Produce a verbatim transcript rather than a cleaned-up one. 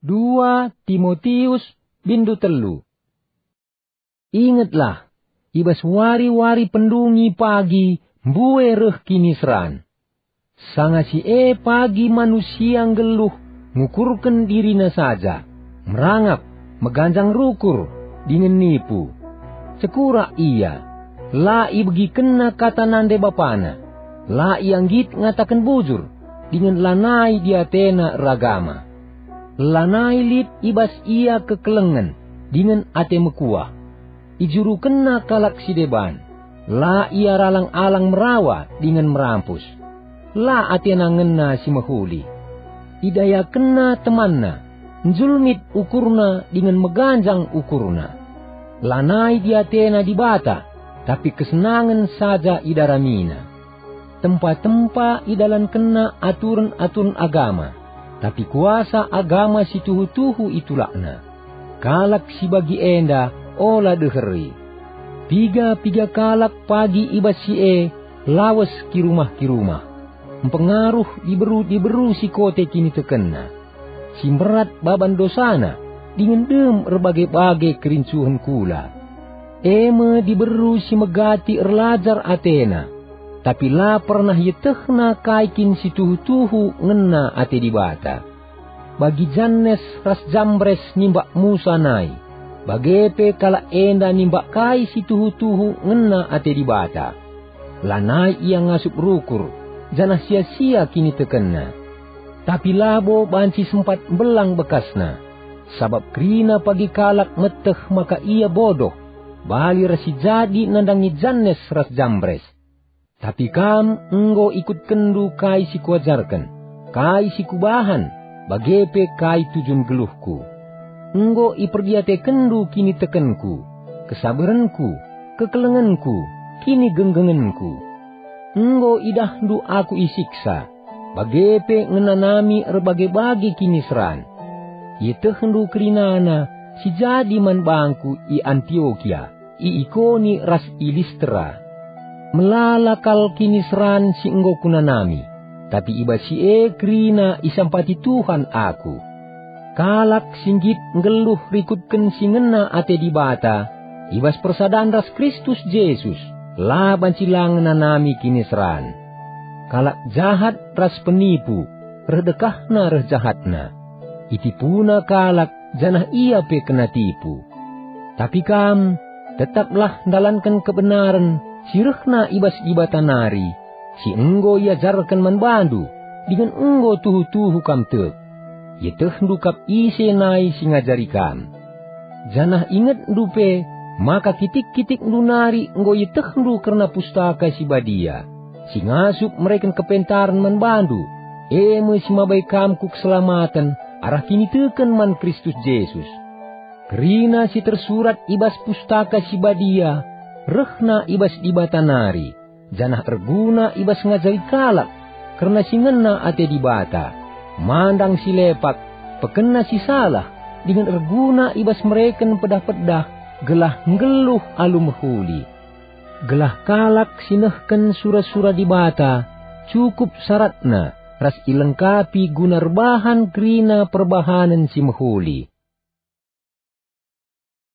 Dua Timotius, bindu telu. Ingetlah, i bas wari-wari pendungi pagi mbue reh kiniseran. Sanga si e pagi manusia nggeluh ngukurken dirina saja, merangap, meganjang rukur, dingen nipu. Cekurak ia, la ibegikenna kata nande bapana, la ia nggit ngataken bujur, dingen lanai diatena eragama. Lanai lit i bas ia kekelengen dingen ate mekuah. Ijurukenna kalak si deban, la ia ralang-alang merawa dingen merampus. La atena ngena si mehuli. Idayakenna temanna, njulmit ukurna dingen meganjang ukurna. Lanai diatena Dibata, tapi kesenangen saja idaramina. Tempa-tempa idalankenna aturen-aturen agama, tapi kuasa agama si tuhu-tuhu itulakna. Kalak si bagi enda ola deheri. Piga-piga kalak pagi i bas si e lawes kirumah-kirumah, mpengaruh diberu-diberu si kote kinitekenna, si mberat baban dosana, dingen dem erbage-bage kerincuhen kula. E me diberu si megati erlajar atena, tapi la pernah ietehna kai kin si tuhu-tuhu ngena ate Dibata. Bagi Jannes ras Jambres nimbak Musa nai, bage pe kalak enda nimbak kai si tuhu-tuhu ngena ate Dibata. Lanai ia ngasup rukur, janah sia-sia kinitekenna. Tapi labo banci sempat mbelang bekasna, sabap kerina pagi kalak meteh maka ia bodoh, bali ras si jadi nandangi Jannes ras Jambres. Tapi kam enggo ikutkenndu kai si kuajarken, kai si kubahan, bage pe kai tujun geluhku. Enggo iperdiatekenndu kinitekenku, kesaberenku, kekelengenku, kinigenggengenku. Enggo idahndu aku isiksa, bage pe ngenanami erbage-bage kiniseran. Ietehndu kerinana si jadi man bangku i Antiokia, i Ikoni ras i Listra. Melala kal kiniseran si enggo kunanami, tapi i bas si e kerina isampati Tuhan aku. Kalak si nggit nggeluh rikutken si ngena ate Dibata, i bas persadan ras Kristus Jesus, la banci la ngenanami kiniseran. Kalak jahat ras penipu, reh dekahna reh jahatna. Itipuna kalak, janah ia pe kena tipu. Tapi kam, tetaplah ndalanken kebenaren si rehna i bas Dibata nari, si enggo iajarken man bandu, dingen enggo tuhu-tuhu kam tek. Ietehndu kap ise nai si ngajari kam. Janah ingetndu pe maka kitik-kitikndu nari enggo ietehndu kerna Pustaka Si Badia, si ngasup mereken kepentaren man bandu, e me si mabai kam ku keselamaten arah kiniteken man Kristus Jesus. Kerina si tersurat i bas Pustaka Si Badia rehna i bas Dibata nari, janah erguna i bas ngajari kalak kerna si ngena ate Dibata, mandang si lepak, pekena si salah, dingen erguna i bas mereken pedah-pedah gelah nggeluh alu mehuli. Gelah kalak si nehken sura-sura Dibata cukup saratna ras ilengkapi guna erbahan kerina perbahanen si mehuli.